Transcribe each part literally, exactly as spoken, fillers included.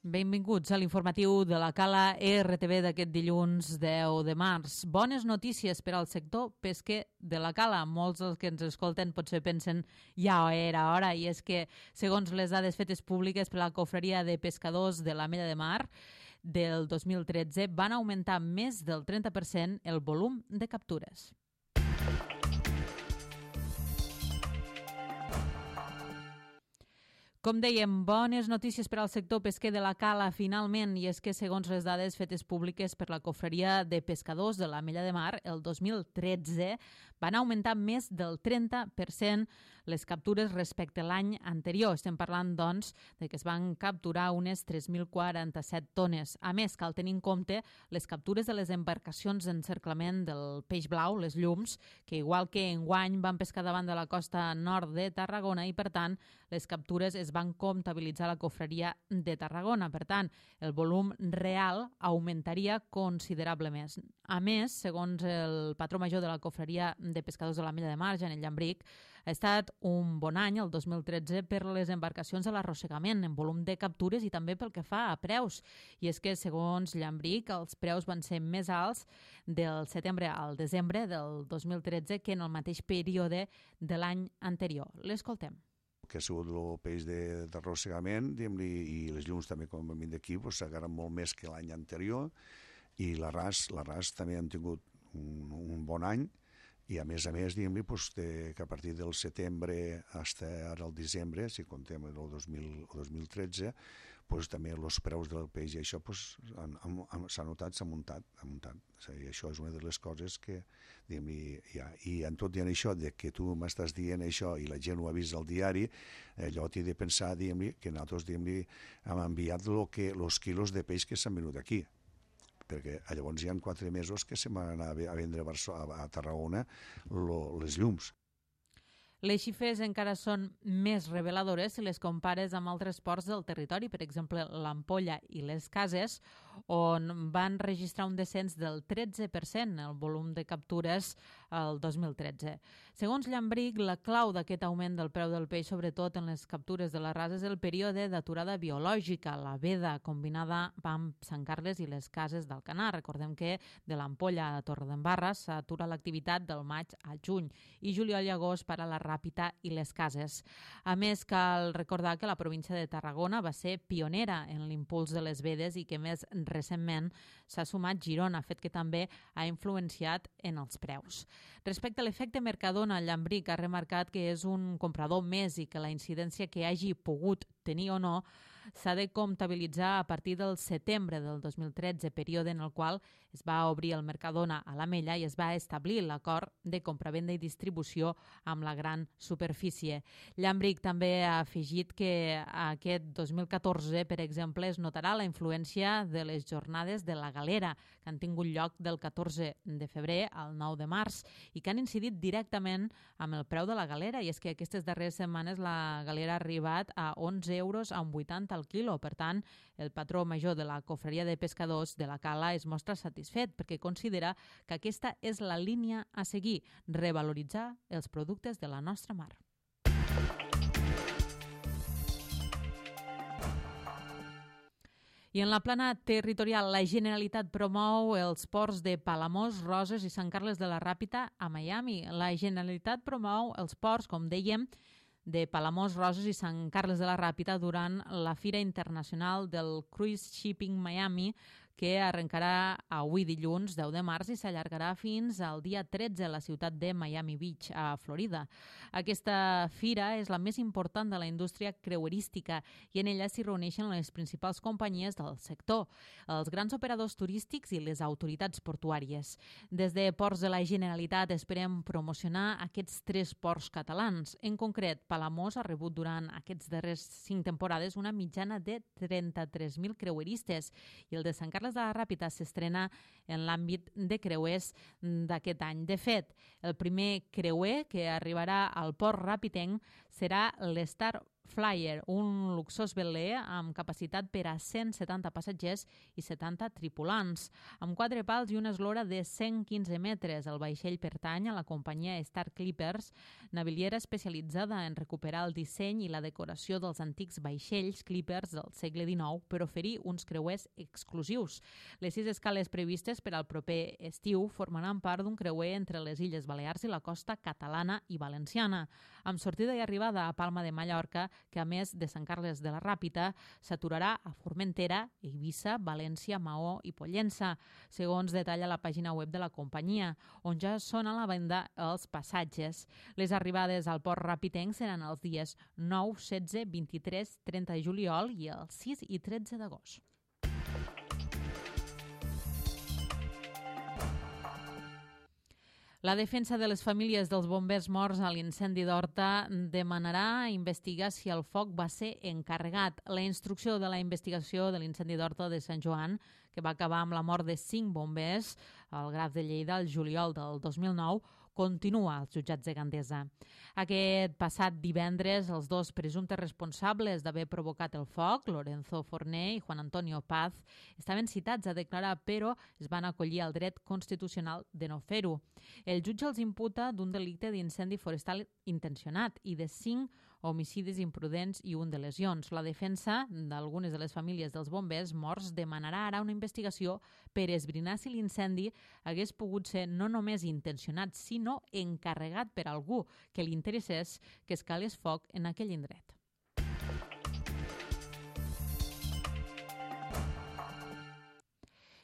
Benvinguts a l'informatiu de la Cala R T V d'aquest dilluns deu de març. Bones notícies per al sector pesquer de la Cala. Molts dels que ens escolten potser pensen ja era hora, i és que, segons les dades fetes públiques per la Confraria de Pescadors de l'Ametlla de Mar del dos mil tretze, van augmentar més del trenta per cent el volum de captures. Com dèiem, bones notícies per al sector pesquer de la Cala finalment, i és que segons les dades fetes públiques per la Confraria de Pescadors de l'Ametlla de Mar, el dos mil tretze van augmentar més del trenta per cent les captures respecte a l'any anterior. Estem parlant, doncs, de que es van capturar unes tres mil quaranta-set tones. A més, cal tenir en compte les captures de les embarcacions d'encerclament del peix blau, les llums, que igual que enguany van pescar davant de la costa nord de Tarragona i, per tant, les captures es van comptabilitzar a la Confraria de Tarragona. Per tant, el volum real augmentaria considerablement. A més, segons el patró major de la Confraria de Pescadors de l'Ametlla de Mar, Janel Llambric, ha estat un bon any, el dos mil tretze, per les embarcacions de l'arrossegament, en volum de captures i també pel que fa a preus. I és que, segons Llambric, els preus van ser més alts del setembre al desembre del dos mil tretze que en el mateix període de l'any anterior. L'escoltem. Que ha sigut el peix d'arrossegament i les llums també, com hem dit d'aquí, s'agarren molt més que l'any anterior, i l'arràs l'arràs també han tingut un, un bon any, i a més a més, diguem-li, que a partir del setembre fins ara al desembre, si comptem el dos mil tretze, també els preus del peix i això s'ha notat, s'ha muntat. I això és una de les coses que, diguem-li, hi ha. I en tot dient això, que tu m'estàs dient això i la gent ho ha vist al diari, allò t'he de pensar, diguem-li, que nosaltres, diguem-li, hem enviat els quilos de peix que s'han venut aquí, perquè llavors hi ha quatre mesos que se van anar a vendre a Tarragona les llums. Les xifres encara són més reveladores si les compares amb altres ports del territori, per exemple l'Ampolla i les Cases, on van registrar un descens del tretze per cent el volum de captures el dos mil tretze. Segons Llambric, la clau d'aquest augment del preu del peix, sobretot en les captures de l'arràs, és el període d'aturada biològica, la veda combinada amb Sant Carles i les Cases d'Alcanar. Recordem que de l'Ampolla a Torredembarra s'atura l'activitat del maig a juny i juliol i agost per a la Ràpita i les Cases. A més, cal recordar que la província de Tarragona va ser pionera en l'impuls de les vedes i que més recentment s'ha sumat Girona, fet que també ha influenciat en els preus. Respecte a l'efecte Mercadona, Llambric ha remarcat que és un comprador més i que la incidència que hagi pogut tenir o no s'ha de comptabilitzar a partir del setembre del dos mil tretze, període en el qual es va obrir el Mercadona a l'Ametlla i es va establir l'acord de compravenda i distribució amb la gran superfície. Llambric també ha afegit que aquest dos mil catorze, per exemple, es notarà la influència de les jornades de la Galera, que han tingut lloc del catorze de febrer al nou de març i que han incidit directament amb el preu de la galera, i és que aquestes darreres setmanes la galera ha arribat a onze euros amb vuitanta al quilo. Per tant, el patró major de la Confraria de Pescadors de la Cala es mostra satisfet perquè considera que aquesta és la línia a seguir, revaloritzar els productes de la nostra mar. I en la plana territorial, la Generalitat promou els ports de Palamós, Roses i Sant Carles de la Ràpita a Miami. La Generalitat promou els ports, com dèiem, de Palamós, Roses i Sant Carles de la Ràpita durant la Fira Internacional del Cruise Shipping Miami, que arrencarà avui dilluns deu de març i s'allargarà fins al dia tretze a la ciutat de Miami Beach, a Florida. Aquesta fira és la més important de la indústria creuerística i en ella s'hi reuneixen les principals companyies del sector, els grans operadors turístics i les autoritats portuàries. Des de Ports de la Generalitat esperem promocionar aquests tres ports catalans. En concret, Palamós ha rebut durant aquests darrers cinc temporades una mitjana de trenta-tres mil creueristes i el de Sant Carles de la Ràpita s'estrena en l'àmbit de creuers d'aquest any. De fet, el primer creuer que arribarà al port ràpitenc serà l'Star Flyer, un luxós veler amb capacitat per a cent setanta passatgers i setanta tripulants. Amb quatre pals i una eslora de cent quinze metres, el vaixell pertany a la companyia Star Clippers, naviliera especialitzada en recuperar el disseny i la decoració dels antics vaixells Clippers del segle dinou per oferir uns creuers exclusius. Les sis escales previstes per al proper estiu formaran part d'un creuer entre les Illes Balears i la costa catalana i valenciana, amb sortida i arribada a Palma de Mallorca, que a més de Sant Carles de la Ràpita s'aturarà a Formentera, Eivissa, València, Maó i Pollença, segons detalla la pàgina web de la companyia, on ja són a la venda els passatges. Les arribades al port ràpitenc seran els dies nou, setze, vint-i-tres, trenta de juliol i els sis i tretze d'agost. La defensa de les famílies dels bombers morts a l'incendi d'Horta demanarà investigar si el foc va ser encarregat. La instrucció de la investigació de l'incendi d'Horta de Sant Joan, que va acabar amb la mort de cinc bombers al Graf de Lleida el juliol del dos mil nou, continua als jutjats de Gandesa. Aquest passat divendres, els dos presumptes responsables d'haver provocat el foc, Lorenzo Forné i Juan Antonio Paz, estaven citats a declarar, però es van acollir al dret constitucional de no fer-ho. El jutge els imputa d'un delicte d'incendi forestal intencionat i de cinc homicidis imprudents i un de lesions. La defensa d'algunes de les famílies dels bombers morts demanarà ara una investigació per esbrinar si l'incendi hagués pogut ser no només intencionat, sinó encarregat per algú que li interessés que escalés foc en aquell indret.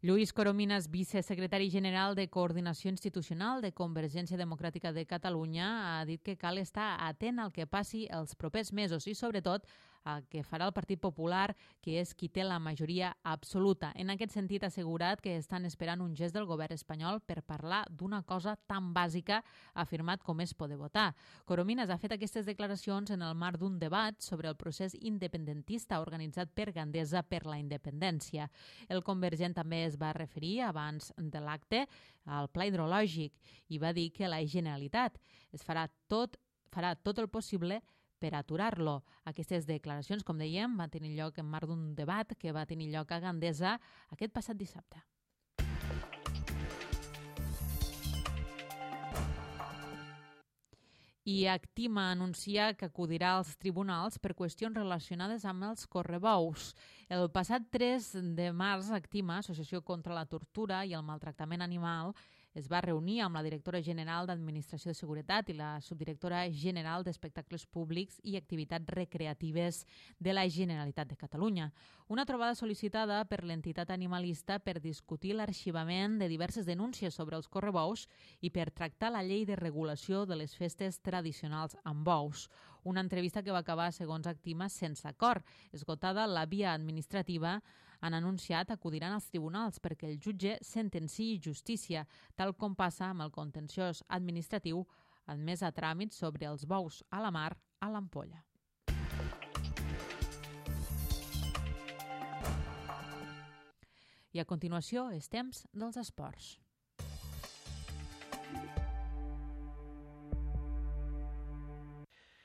Lluís Corominas, vicesecretari general de Coordinació Institucional de Convergència Democràtica de Catalunya, ha dit que cal estar atent al que passi els propers mesos i, sobretot, el que farà el Partit Popular, que és qui té la majoria absoluta. En aquest sentit, ha assegurat que estan esperant un gest del govern espanyol per parlar d'una cosa tan bàsica, ha afirmat, com és poder votar. Corominas ha fet aquestes declaracions en el marc d'un debat sobre el procés independentista organitzat per Gandesa per la independència. El convergent també es va referir, abans de l'acte, al pla hidrològic i va dir que la Generalitat es farà tot, farà tot el possible per aturar-lo. Aquestes declaracions, com dèiem, van tenir lloc en marc d'un debat que va tenir lloc a Gandesa aquest passat dissabte. I Actima anuncia que acudirà als tribunals per qüestions relacionades amb els correbous. El passat tres de març, Actima, Associació contra la Tortura i el Maltractament Animal, es va reunir amb la directora general d'Administració de Seguretat i la subdirectora general d'Espectacles Públics i Activitats Recreatives de la Generalitat de Catalunya. Una trobada sol·licitada per l'entitat animalista per discutir l'arxivament de diverses denúncies sobre els correbous i per tractar la llei de regulació de les festes tradicionals amb bous. Una entrevista que va acabar, segons Actima, sense acord. Esgotada la via administrativa, han anunciat acudiran als tribunals perquè el jutge sentenciï justícia, tal com passa amb el contenciós administratiu admès a tràmit sobre els bous a la mar a l'Ampolla. I a continuació és temps dels esports.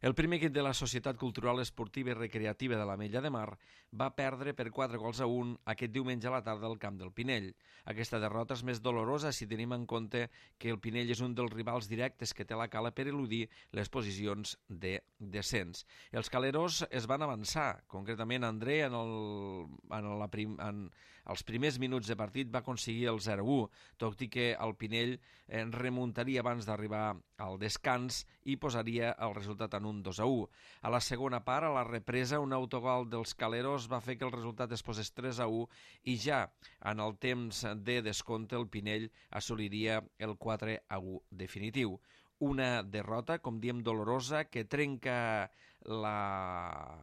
El primer equip de la Societat Cultural Esportiva i Recreativa de l'Ametlla de Mar va perdre per quatre gols a un aquest diumenge a la tarda al camp del Pinell. Aquesta derrota és més dolorosa si tenim en compte que el Pinell és un dels rivals directes que té la Cala per eludir les posicions de descens. Els caleros es van avançar, concretament André en, el, en, la prim, en els primers minuts de partit va aconseguir el zero a u, tot i que el Pinell eh, remuntaria abans d'arribar al descans i posaria el resultat en un dos a u. A la segona part, a la represa, un autogol dels caleros va fer que el resultat es posés tres a u i ja en el temps de descompte el Pinell assoliria el quatre a u definitiu. Una derrota, com diem, dolorosa, que trenca la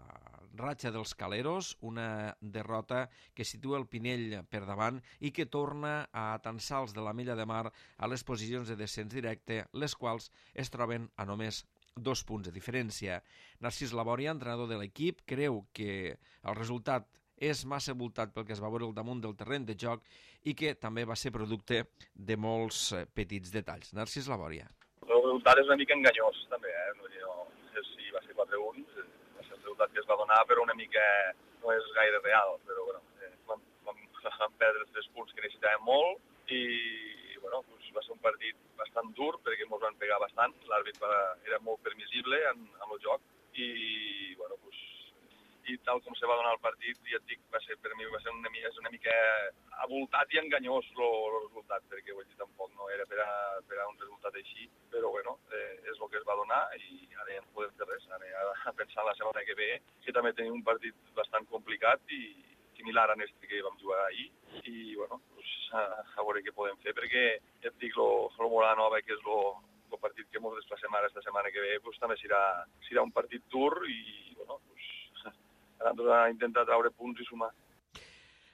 ratxa dels caleros, una derrota que situa el Pinell per davant i que torna a atansar els de l'Ametlla de Mar a les posicions de descens directe, les quals es troben a només dos punts de diferència. Narcís Labòria, entrenador de l'equip, creu que el resultat és massa voltat pel que es va veure al damunt del terreny de joc i que també va ser producte de molts petits detalls. Narcís Labòria. El resultat és una mica enganyós, també, eh? No sé si va ser quatre a un, va ser resultat que es va donar, però una mica no és gaire real. Però bueno, eh, vam, vam, vam perdre els tres punts que necessitàvem molt i bueno, doncs va ser un partit bastant dur perquè ens van pegar bastant. L'àrbit era molt permissible en, en el joc i bueno, doncs, i tal com se va donar el partit, ja et dic, va ser, per mi va ser una, és una mica avoltat i enganyós el resultat, perquè vull dir, tampoc no era per a, per a un resultat així, però bueno, eh, és el que es va donar i ara ja no podem fer res, ara a pensar la setmana que ve, que també tenim un partit bastant complicat i similar a este que vam jugar ahir, i bueno, pues, a, a veure què podem fer, perquè ja et dic, el Mola Nova, que és el partit que ens desplacem ara esta setmana que ve, pues, també serà, serà un partit dur i bueno, pues, a intentar treure punts i sumar.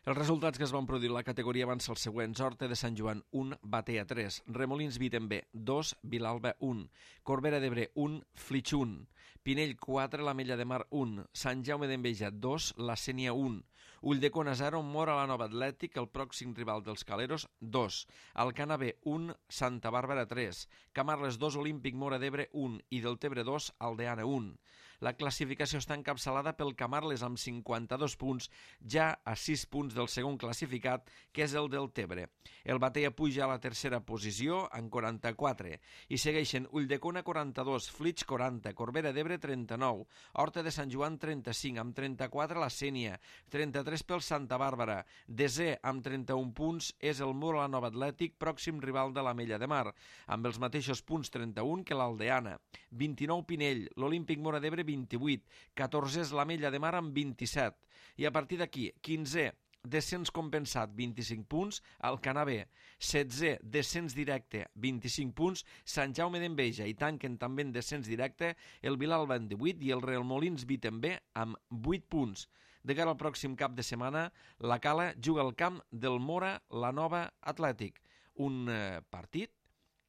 Els resultats que es van produir a la categoria van ser els següents. Horta de Sant Joan, un, Batea, tres. Remolins Vitem B, dos, Vilalba, un. Corbera d'Ebre, un, Flix, un. Pinell, quatre, l'Ametlla de Mar, un. Sant Jaume d'Enveja, dos, la Sénia, un. Ulldecona, zero, Mora la Nova Atlètic, el pròxim rival dels Caleros, dos. Alcana B, un, Santa Bàrbara, tres. Camarles, dos, Olímpic Mora d'Ebre, un. I Deltebre, dos, Aldeana, un. La classificació està encapçalada pel Camarles amb cinquanta-dos punts, ja a sis punts del segon classificat, que és el Deltebre. El Batea puja a la tercera posició amb quaranta-quatre i segueixen Ulldecona quaranta-dos, Flix quaranta, Corbera d'Ebre trenta-nou, Horta de Sant Joan trenta-cinc, amb trenta-quatre la Sénia, trenta-tres pel Santa Bàrbara. Desè amb trenta-un punts és el Mora la Nova Atlètic, pròxim rival de l'Ametlla de Mar, amb els mateixos punts trenta-un que l'Aldeana. vint-i-nou Pinell, l'Olímpic Mora d'Ebre vint-i-vuit, catorzè és l'Ametlla de Mar amb vint-i-set. I a partir d'aquí, quinzè, descens compensat, vint-i-cinc punts, Alcanar B. setzè, descens directe, vint-i-cinc punts, Sant Jaume d'Enveja, i tanquen també en descens directe el Vilalba amb divuit i el Remolins Vitem B amb vuit punts. De cara al pròxim cap de setmana, la Cala juga al camp del Mora la Nova Atlètic. Un eh, partit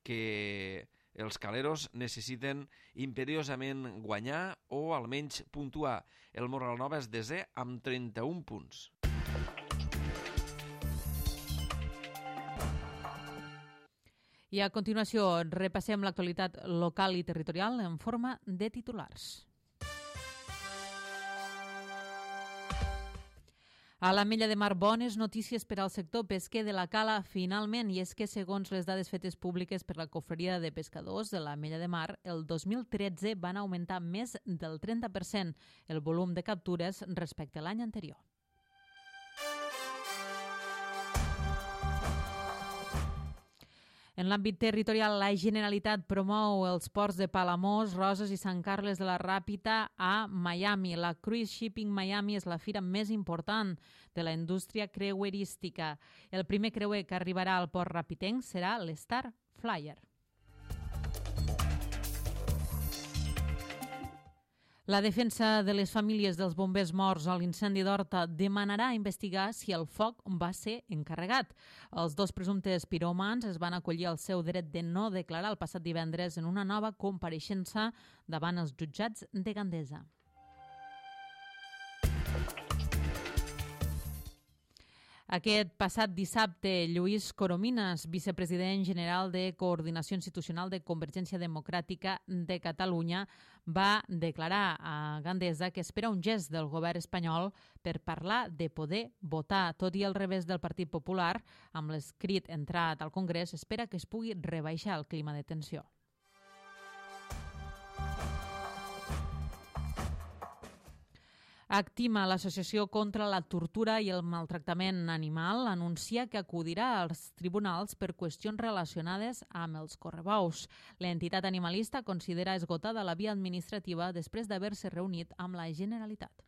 que els caleros necessiten imperiosament guanyar o almenys puntuar. El Mora la Nova és desè amb trenta-un punts. I a continuació repassem l'actualitat local i territorial en forma de titulars. A l'Ametlla de Mar, bones notícies per al sector pesquer de la Cala, finalment, i és que, segons les dades fetes públiques per la Cofreria de Pescadors de l'Ametlla de Mar, el dos mil tretze van augmentar més del trenta per cent el volum de captures respecte a l'any anterior. En l'àmbit territorial, la Generalitat promou els ports de Palamós, Roses i Sant Carles de la Ràpita a Miami. La Cruise Shipping Miami és la fira més important de la indústria creuerística. El primer creuer que arribarà al port rapitenc serà l'Star Flyer. La defensa de les famílies dels bombers morts a l'incendi d'Horta demanarà investigar si el foc va ser encarregat. Els dos presumptes piròmans es van acollir al seu dret de no declarar el passat divendres en una nova compareixença davant els jutjats de Gandesa. Aquest passat dissabte, Lluís Coromines, vicepresident general de Coordinació Institucional de Convergència Democràtica de Catalunya, va declarar a Gandesa que espera un gest del govern espanyol per parlar de poder votar. Tot i el revés del Partit Popular, amb l'escrit entrat al Congrés, espera que es pugui rebaixar el clima de tensió. Actima, l'associació contra la tortura i el maltractament animal, anuncia que acudirà als tribunals per qüestions relacionades amb els correbous. L'entitat animalista considera esgotada la via administrativa després d'haver-se reunit amb la Generalitat.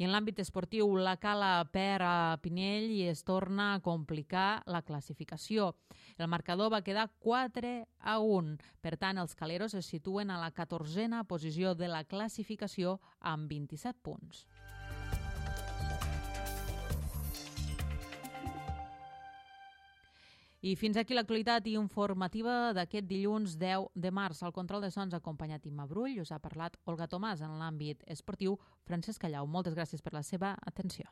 I en l'àmbit esportiu, la Cala perd a Pinell i es torna a complicar la classificació. El marcador va quedar quatre a un. Per tant, els caleros es situen a la catorzena posició de la classificació amb vint-i-set punts. I fins aquí l'actualitat informativa d'aquest dilluns deu de març. Al control de sons ha acompanyat Imma Brull, us ha parlat Olga Tomàs. En l'àmbit esportiu, Francesc Callau. Moltes gràcies per la seva atenció.